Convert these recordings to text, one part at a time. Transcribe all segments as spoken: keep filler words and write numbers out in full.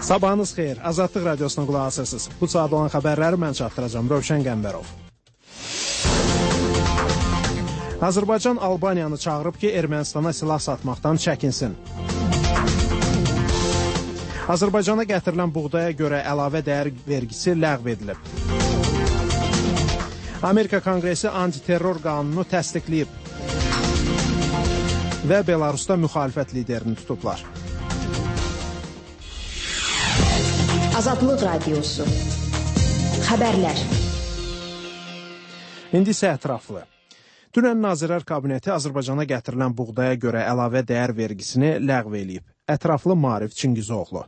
Sabahınız xeyir. Azadlıq Radiosuna qulaq asırsınız. Bu saat olan xəbərləri mən çatdıracağım. Rövşən Qəmbərov. Azərbaycan Albaniyanı çağırıb ki, Ermənistana silah satmaqdan çəkinsin. Azərbaycana gətirilən buğdaya görə əlavə dəyər vergisi ləğv edilib. Amerika Konqresi antiterror qanunu təsdiqləyib və Belarusda müxalifət liderini tutublar. Azadlıq Radiosu. Xəbərlər. İndi isə ətraflı. Dünən Nazirlər Kabineti Azərbaycana gətirilən buğdaya görə əlavə dəyər vergisini ləğv eləyib. Ətraflı Maarif Çingizoğlu.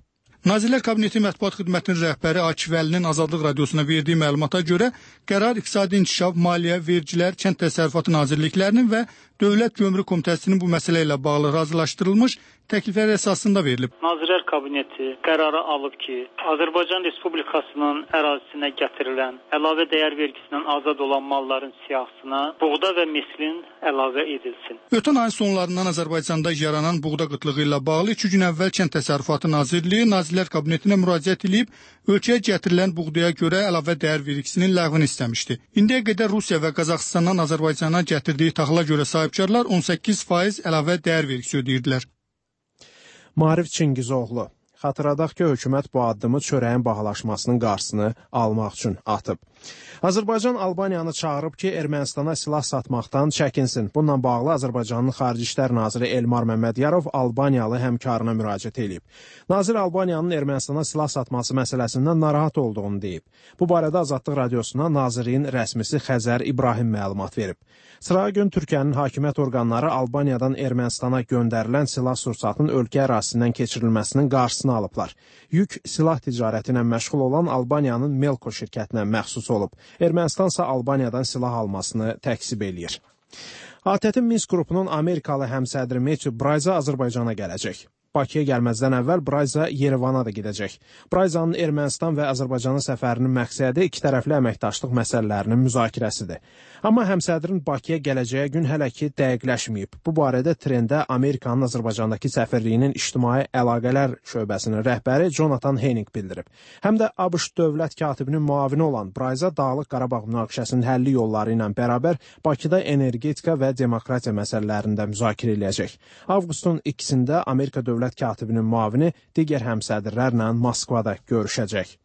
Nazirlər Kabineti Mətbuat Xidmətinin rəhbəri Akif Əlinin Azadlıq Radiosuna verdiyi məlumata görə qərar İqtisadi İnkişaf, Maliyyə, Vergilər, Kənd Təsərrüfatı Nazirliklərinin və Dövlət Gömrük Komitəsinin bu məsələ ilə bağlı razılaşdırılmış təkliflər əsasında verilib. Nazirlər Kabineti qərarı alıb ki, Azərbaycan Respublikasının ərazisinə gətirilən əlavə dəyər vergisindən azad olan malların siyahısına buğda və mislin əlavə edilsin. Ötən ayın sonlarından Azərbaycanda yaranan buğda qıtlığı ilə bağlı iki gün əvvəl Kənd Təsərrüfatı Nazirliyi Nazirlər Kabinetinə müraciət edib, ölkəyə gətirilən buğdaya görə əlavə dəyər vergisinin ləğvini istəmişdi. İndiyə qədər Rusiya və Qazaxıstandan Azərbaycana gətirdiyi taxıla görə sahibkarlar on səkkiz faiz əlavə dəyər vergisi ödəyirdilər. Maarif Çingizoğlu. Xatırladaq ki, hökumət bu addımı çörəyin bahalaşmasının qarşısını almaq üçün atıb. Azərbaycan Albaniyanı çağırıb ki, Ermənistana silah satmaqdan çəkinsin. Bununla bağlı Azərbaycanın Xarici İşlər Naziri Elmar Məmmədiyarov Albaniyalı həmkarına müraciət edib. Nazir Albaniyanın Ermənistana silah satması məsələsindən narahat olduğunu deyib. Bu barədə Azadlıq Radiosuna Nazirliyin rəsmisi Xəzər İbrahim məlumat verib. Sırağa gün Türkiyənin hakimiyyət orqanları Albaniyadan Ermənistana göndərilən silah sursatının ölkə ərazisindən keçirilməsinin qarşısını alıblar. Yük silah ticarəti ilə məşğul olan Albaniyanın Melko şirkətinə məxsus olub. Ermənistan isə Albaniyadan silah almasını təksib eləyir. A T T Minsk qrupunun Amerikalı həmsədri Matthew Brayza Azərbaycana gələcək. Bakıya gəlməzdən əvvəl Brayza Yerevana da gedəcək. Brayzanın Ermənistan və Azərbaycana səfərinin məqsədi iki tərəfli əməkdaşlıq məsələlərinin müzakirəsidir. Amma həmsədrin Bakıya gələcəyi gün hələ ki dəqiqləşməyib. Bu barədə trendə Amerikanın Azərbaycandakı səfirliyinin ictimai əlaqələr şöbəsinin rəhbəri Jonathan Henning bildirib. Həm də ABŞ dövlət katibinin müavini olan Brayza Dağlıq Qarabağ münaqişəsinin həlli yolları ilə bərabər Bakıda energetika və demokratiya məsələlərində müzakirə eləyəcək. Avqustun ikisində Amerika dövlət katibinin müavini digər həmsədrlərlə Moskvada görüşəcək.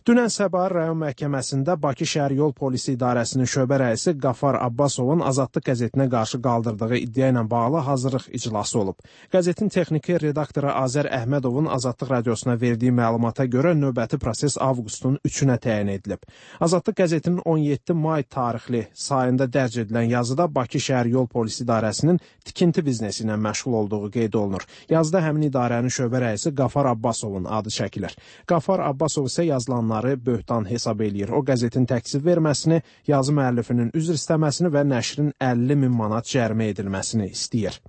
Dünən Səbail rayon məhkəməsində Bakı şəhər yol polisi idarəsinin şöbə rəisi Qafar Abbasovun Azadlıq qəzetinə qarşı qaldırdığı iddia ilə bağlı hazırlıq iclası olub. Qəzetin texniki redaktoru Azər Əhmədovun Azadlıq radiosuna verdiyi məlumata görə növbəti proses avqustun üçünə təyin edilib. Azadlıq qəzetinin on yeddi may tarixli sayında dərc edilən yazıda Bakı şəhər yol polisi idarəsinin tikinti biznesi ilə məşğul olduğu qeyd olunur. Yazıda həmin idarənin şöbə rəisi Qafar Abbasovun adı çəkilir. Qafar Abbasov isə yazılanlar böhtan hesab eləyir. O qəzetin təksib verməsini, yazı müəllifinin üzr istəməsini və nəşrin əlli min manat cərimə edilməsini istəyir.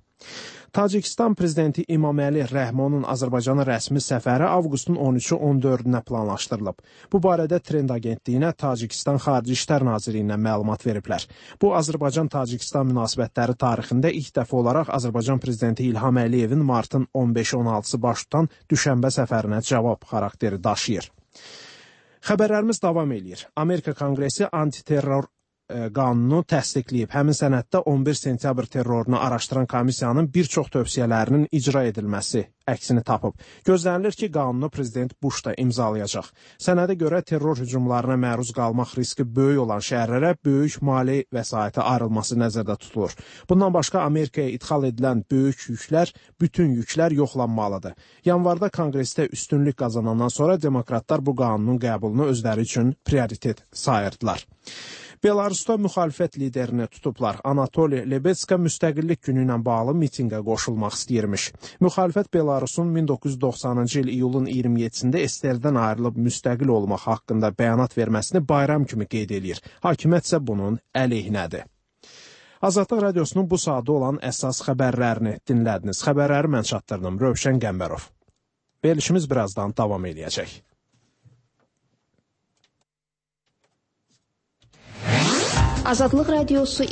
Tacikistan prezidenti İmaməli Rəhmonun Azərbaycana rəsmi səfəri avqustun on üçü on dördünə planlaşdırılıb. Bu barədə Trend agentliyinə Tacikistan Xarici İşlər Nazirliyindən məlumat veriblər. Bu, Azərbaycan-Tacikistan münasibətləri tarixində ilk dəfə olaraq Azərbaycan prezidenti İlham Əliyevin martın on beşi on altısı baş tutan düşənbə səfərinə cavab xarakteri daşıyır. Xəbərlərimiz davam eləyir. Amerika Konqresi antiterror qanunu təsdiqləyib. Həmin sənəddə on bir sentyabr terrorunu araşdıran komissiyanın bir çox tövsiyələrinin icra edilməsi əksini tapıb. Gözlənilir ki, qanunu prezident Bush da imzalayacaq. Sənədə görə terror hücumlarına məruz qalmaq riski böyük olan şəhərlərə böyük mali vəsaiti ayrılması nəzərdə tutulur. Bundan başqa Amerikaya idxal edilən böyük yüklər, bütün yüklər yoxlanmalıdır. Yanvarda Konqresdə üstünlük qazanandan sonra demokratlar bu qanunun qəbulunu özləri üçün prioritet sayırdılar. Belarusda müxalifət liderini tutublar. Anatoli Lebetska müstəqillik günü ilə bağlı mitinqə qoşulmaq istəyirmiş. Müxalifət Belarusun min doqquz yüz doxsanıncı il iyulun iyirmi yeddisində S S R-dən ayrılıb müstəqil olmaq haqqında bəyanat verməsini bayram kimi qeyd edir. Hakimiyyət isə bunun əleyhinədir. Azadlıq Radiosunun bu saatda olan əsas xəbərlərini dinlədiniz. Xəbərləri mən çatdırdım. Rövşən Qəmbərov. Verilişimiz birazdan davam edəcək. Azadlıq Radiosu